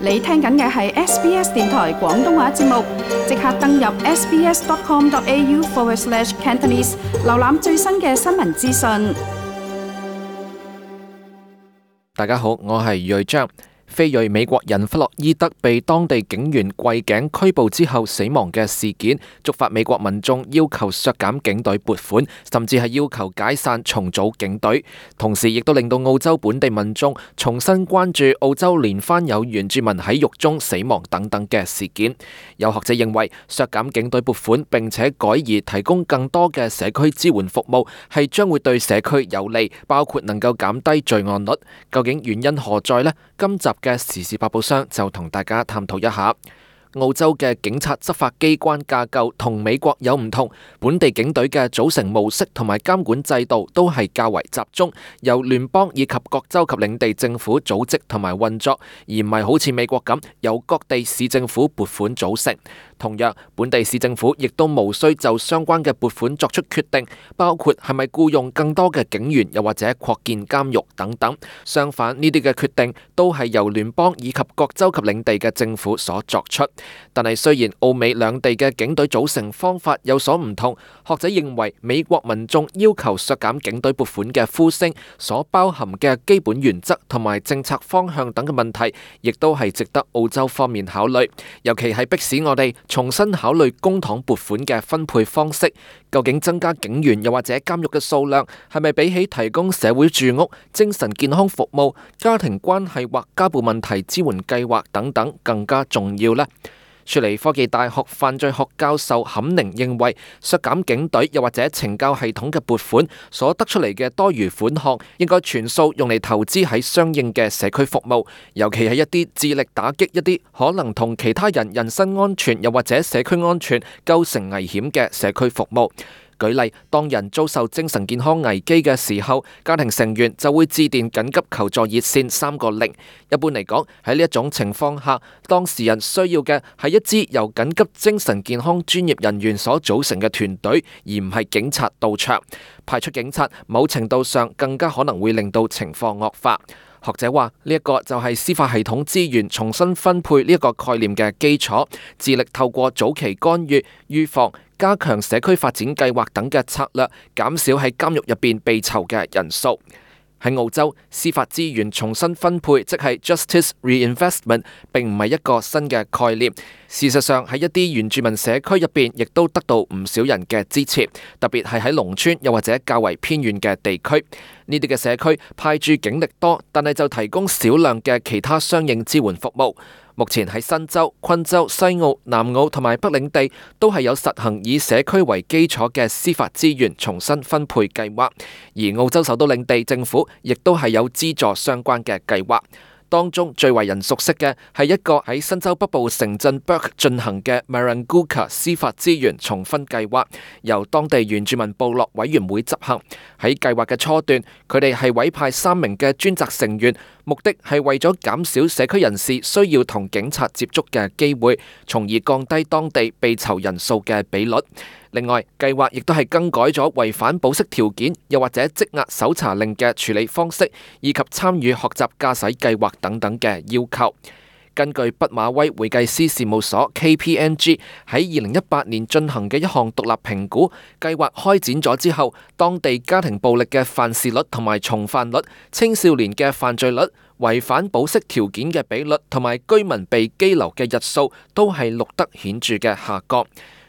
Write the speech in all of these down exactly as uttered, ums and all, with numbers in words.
你聽緊嘅係 S B S 電台廣東話節目，即刻登入 sbs.com.au forward slash Cantonese， 瀏覽最新嘅新聞資訊。大家好，我係瑞章。非裔美國人弗洛伊德被當地警員跪頸拘捕之後死亡嘅事件，觸發美國民眾要求削減警隊撥款，甚至係要求解散重組警隊。同時亦都令到澳洲本地民眾重新關注澳洲連番有原住民喺獄中死亡等等嘅事件。有學者認為，削減警隊撥款並且改而提供更多嘅社區支援服務，係將會對社區有利，包括能夠減低罪案率。究竟原因何在呢？今集嘅時事百寶箱就同大家探討一下。澳洲嘅警察執法機關架構同美國有唔同，本地警隊嘅組成模式同埋監管制度都係較為集中，由聯邦以及各州及領地政府組織同埋運作，而唔係好似美國咁由各地市政府撥款組成。同樣，本地市政府亦都無需就相關嘅撥款作出決定，包括係咪僱用更多嘅警員，又或者擴建監獄等等。相反，呢啲嘅決定都係由聯邦以及各州及領地嘅政府所作出。但係雖然澳美兩地嘅警隊組成方法有所唔同，學者認為美國民眾要求削減警隊撥款嘅呼聲所包含嘅基本原則同埋政策方向等嘅問題，亦都係值得澳洲方面考慮，尤其係迫使我哋重新考慮公帑撥款嘅分配方式。究竟增加警員又或者監獄嘅數量，係咪比起提供社會住屋、精神健康服務、家庭關係或家暴問題支援計劃等等更加重要呢？雪梨科技大學犯罪學教授坎寧認為，削減警隊又或者懲教系統嘅撥款所得出嚟嘅多餘款項，應該全數用嚟投資喺相應嘅社區服務，尤其係一啲致力打擊一啲可能同其他人人身安全又或者社區安全構成危險嘅社區服務。舉例，當人遭受精神健康危機嘅時候，家庭成員就會致電緊急求助熱線三個零。一般嚟講，喺呢一種情況下，當事人需要嘅係一支由緊急精神健康專業人員所組成嘅團隊，而唔係警察到場。派出警察，某程度上更加可能會令到情況惡化。學者話呢一個就係司法系統資源重新分配呢一個概念嘅基礎，致力透過早期干預、預防、加強社區發展計劃等嘅策略，減少喺監獄入邊被囚嘅人數。喺澳洲，司法資源重新分配，即係 justice reinvestment， 並唔係一個新嘅概念。事實上，喺一啲原住民社區入邊，亦都得到唔少人嘅支持，特別係喺農村又或者較為偏遠嘅地區。呢啲嘅社區派駐警力多，但係就提供少量嘅其他相應支援服務。目前喺新州、昆州、西澳、南澳同埋北領地都係有實行以社區為基礎嘅司法資源重新分配計劃，而澳洲首都領地政府亦都係有資助相關嘅計劃。當中最為人熟悉嘅係一個喺新州北部城鎮 Burke 進行嘅 Maranguka 司法資源重分計劃，由當地原住民部落委員會執行。喺計劃嘅初段，佢哋係委派三名嘅專責成員，目的係為咗減少社區人士需要同警察接觸嘅機會，從而降低當地被囚人數嘅比率。另外，計劃亦都係更改咗違反保釋條件又或者積壓搜查令嘅處理方式，以及參與學習駕駛計劃等等嘅要求。根據畢馬威會計師事務所 K P M G 喺二零一八年進行嘅一項獨立評估，計劃開展咗之後，當地家庭暴力嘅犯事率同埋重犯率、青少年嘅犯罪率、違反保釋條件嘅比率同埋居民被羈留嘅日數，都係錄得顯著嘅下降。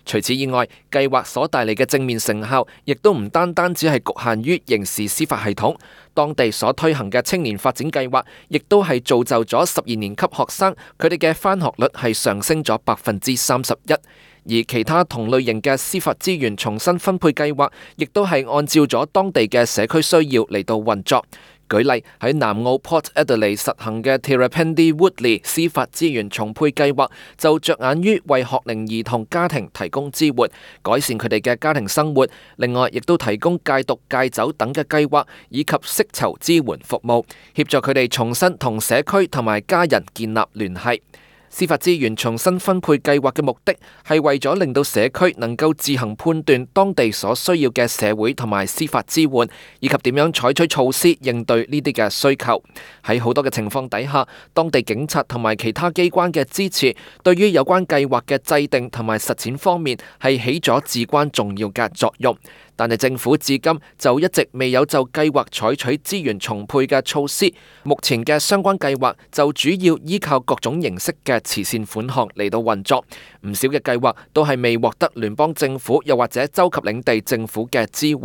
除此以外，計劃所帶嚟嘅正面成效，亦都唔單單只係局限於刑事司法系統。當地所推行嘅青年發展計劃，亦都係造就咗十二年級學生佢哋嘅返學率係上升咗百分之三十一。而其他同類型嘅司法資源重新分配計劃，亦都係按照咗當地嘅社區需要嚟到運作。舉例，喺南澳 Port Adelaide 實行嘅 Tirrapendi Woodley 司法資源重配計劃，就着眼於為學齡兒童家庭提供支援，改善佢哋嘅家庭生活。另外，亦都提供戒毒、戒酒等嘅計劃，以及釋囚支援服務，協助佢哋重新同社區同埋家人建立聯繫。司法資源重新分配計劃嘅目的係為咗令到社區能夠自行判斷當地所需要嘅社會同埋司法支援，以及點樣採取措施應對呢啲嘅需求。喺好多嘅情況底下，當地警察同埋其他機關嘅支持，對於有關計劃嘅制定同埋實踐方面係起咗至關重要嘅作用。但係政府至今就一直未有就計劃採取資源重配嘅措施。目前嘅相關計劃就主要依靠各種形式嘅慈善款項嚟到運作，唔少嘅計劃都係未獲得聯邦政府又或者州及領地政府嘅支援，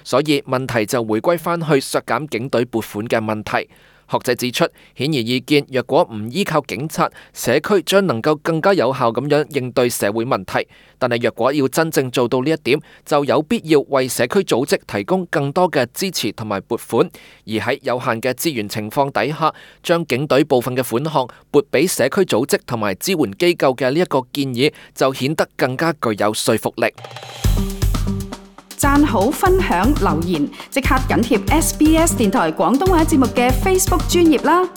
所以問題就回歸返去削減警隊撥款嘅問題。學者指出，顯而易見，若果唔依靠警察，社區將能夠更加有效咁樣應對社會問題。但係若果要真正做到呢一點，就有必要為社區組織提供更多嘅支持同埋撥款。而喺有限嘅資源情況底下，將警隊部分嘅款項撥俾社區組織同埋支援機構嘅呢一個建議，就顯得更加具有說服力。讚好、分享、留言，即刻緊貼 S B S 電台廣東話節目嘅 Facebook 專頁啦！